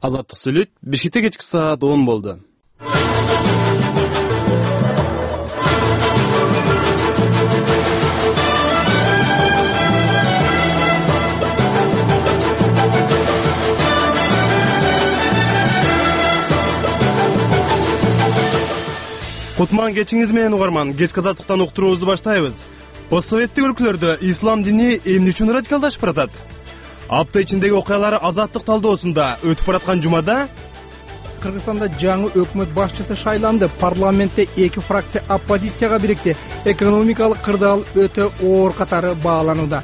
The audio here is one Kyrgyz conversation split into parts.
Азаттык сүйлөйт. Бишкекте кечки саат 10 болду. Кутман кечиңиз менен угарман. Кечки азаттыктан уктуруубузду баштайбыз. Постсоветтик өлкөлөрдө ислам дини эмне үчүн радикалдашып баратат? Апта ичиндеги окуялар азаттык талдоосунда өтүп бараткан жумада Кыргызстанда жаңы өкмөт башчысы шайланды. Парламентте 2 фракция оппозицияга бирикти. Экономикалык кырдаал өтө оор катары бааланууда.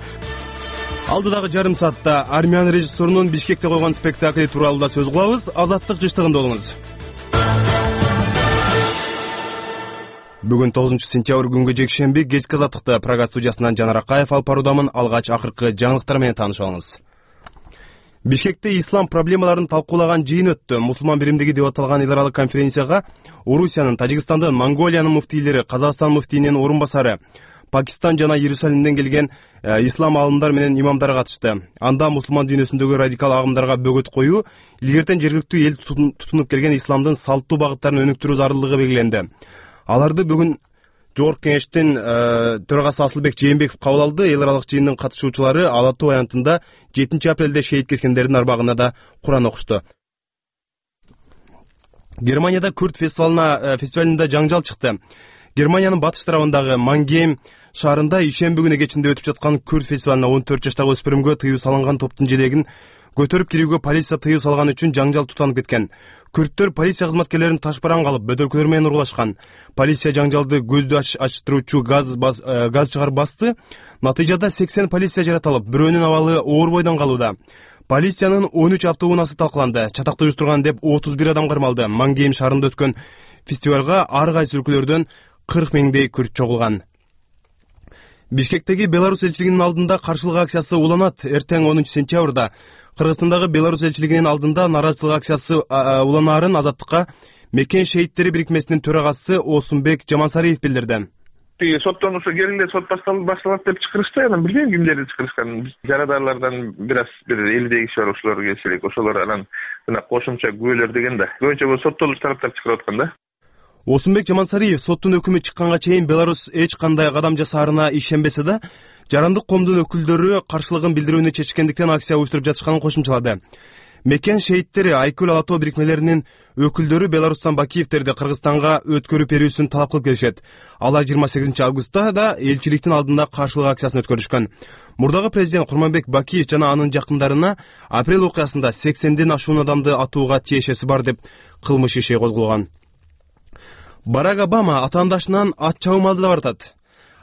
Алдыдагы жарым саатта армян режиссерунун Бишкекте койгон спектакли тууралуу да сөз кылабыз. Азаттык жыштыгында болуңуз. Бүгүн 9-сентябрь күнгө жекшемби кечки азаттыкта Прага студиясынан Жанар Акаев алып баруудамын. Алгач акыркы жаңылыктар менен таанышып алыңыз. Бишкекте ислам проблемаларын талкуулаган жыйын өттү. Мусулман биримдиги деп аталган эл аралык конференцияга Орусиянын, Тажикстандын, Монголиянын муфтийлери, Казакстан муфтийинин орун басары, Пакистан жана Иерусалимден келген ислам аалымдар менен имамдар катышты. Анда мусулман дүйнөсүндөгү радикал агымдарга бөгөт коюу, илгертен жергиликтүү эл тутунуп келген исламдын салттуу багыттарын өнүктүрүү зарылдыгы белгиленди. Аларды бүгүн Жогорку кеңештин төрагасы Асылбек Жээнбеков кабыл алды. Эл аралык жыйындын катышуучулары Ала Тоо аянтында 7 апрелде шейит кеткендердин арбагына да Куран окушту. Германияда Күрт фестивалында жаңжал чыкты. Германиянын батыш тарабындагы Мангейм шаарында ишемби күнү кечинде өтүп жаткан Күрт фестивалына 14 жаштагы өспүрүмгө тыюу салынган топтун желегин көтөрүп кирүүгө полиция тыюу салган үчүн жаңжал тутанып кеткен. Күрттөр полиция кызматкерлерин ташбаран калып, бөтөлкөлөр менен урлашкан. Полиция жаңжалды көздү ачтыруучу газ чыгарып басты. Натыйжада 80 полиция жаратылып, бирөөнүн абалы оор бойдон калууда. Полициянын 13 автоунаасы талкаланды. Чатакты уюштурган деп 31 адам кармалды. Мангейм шаарында өткөн фестивалга ар кайсы өлкөлөрдөн 40 миңдей күрт чогулган. Бишкектеги Беларусь элчилигинин алдында каршылык акциясы уланат. Эртең 10 сентябрда Кыргызстандагы Беларусь элчилигинин алдында нааразычылык акциясы уланаарын Азаттыкка Мекен шейиттери бирикмесинин төрагасы Осунбек Жамансариев билдирди. Соттонуусу келинде сот башталат деп чакырышты. Анан билбейм кимдерди чакырышканын. Жарадарлардан бир 50 киши бар, ошолор келсе элек. Ошолор анан кошумча күбөлөр деген да. Көбүнчө бул соттолуш тараптар чакырып аткан да. Осунбек Жамансариев соттун өкүмү чыкканга чейин Беларусь эч кандай кадам жасаарына ишенбесе да, жарандык коомдун өкүлдөрү каршылыгын билдирүүнү чечкендиктен акция уюштуруп жатышканын кошумчалады. Мекен шейиттери, Айкөл, Ала Тоо бирикмелеринин өкүлдөрү Беларустан Бакиевтерди Кыргызстанга өткөрүп берүүсүн талап кылып келишет. Алар 28 августта да элчиликтин алдында каршылык акциясын өткөрүшкөн. Мурдагы президент Курманбек Бакиев жана анын жакындарына апрель окуясында 80ден ашуун адамды атууга тиешеси бар деп кылмыш иши козголгон. Барак Обама атаандашынан ат чабым алдыда баратат.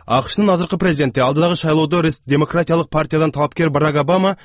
АКШнын азыркы президенти алдыдагы шайлоодо демократиялык партиядан талапкер Барак Обама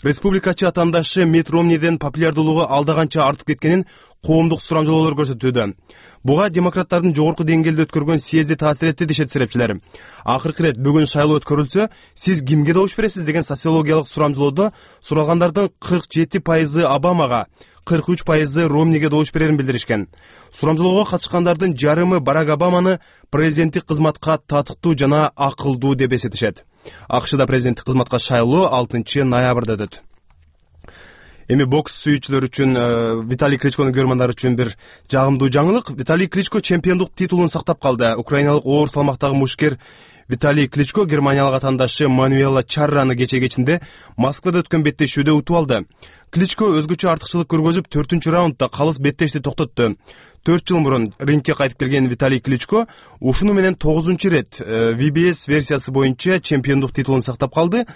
республикачы атаандашы Митт Ромниден популярдуулугу алдаганча артып кеткенин коомдук сурамжылоолор көрсөтүүдө. Буга демократтардын жогорку деңгээлде өткөргөн съезди таасир этти дешет серепчилер. Акыркы ирет бүгүн шайлоо өткөрүлсө, сиз кимге добуш бересиз деген социологиялык сурамжылоодо суралгандардын 47% Обамага, 43% Ромниге добуш берерин билдиришкен. Сурамжылоого катышкандардын жарымы Барак Обаманы президенттик кызматка татыктуу жана акылдуу деп эсептешет. АКШда президенттик кызматка шайлоо 6 ноябрда өтөт. Эми бокс сүйүүчүлөр үчүн Виталий Кличконун көрөрмандары үчүн бир жагымдуу жаңылык. Виталий Кличко чемпиондук титулун сактап калды. Украиналык оор салмактагы мушкер Виталий Кличко германиялык атаандашы Мануэла Чарраны кечинде Москвада өткөн беттешүүдө утуп алды. Кличко өзгөчө артыкчылык көргөзүп 4-раундда калыс беттешти токтотту. 4 жыл мурун рингке кайтып келген Виталий Кличко ушуну менен 9-рет VBS версиясы боюнча чемпиондук титулун сактап калды.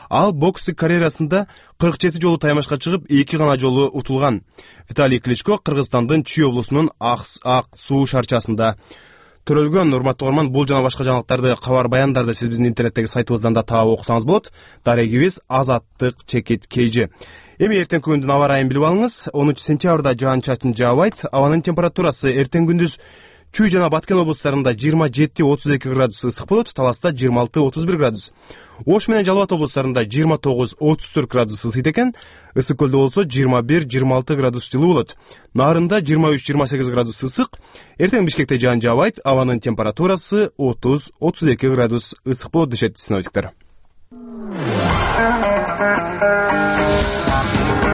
Ал бокстук карьерасында 47 жолу таймашка чыгып, 2 гана жолу утулган. Виталий Кличко Кыргызстандын Чүй облусунун Ак Суу шаарчасында төрөлгөн. Урматтуу угарман, бул жана башка жаңылыктарды, кабар баяндарды сиз биздин интернеттеги сайтыбыздан да таап окусаңыз болот. Дарегибиз Азаттык_KG. Эми эртең күндүн аба ырайын билип алыңыз. 10 сентябрда жаан-чачын жаабайт. Абанын температурасы эртең күндүз Чүй жана Баткен облустарында 27-32 градус ысык болот, Таласта 26-31 градус. Ош менен Жалал Абад облустарында 29-34 градус ысыйт экен. Ысык көлдө болсо 21-26 градус жылуу болот. Нарында 23-28 градус ысык. Эртең Бишкекте жаан жаабайт. Абанын температурасы 30-32 градус ысык болот дешет синоптиктер.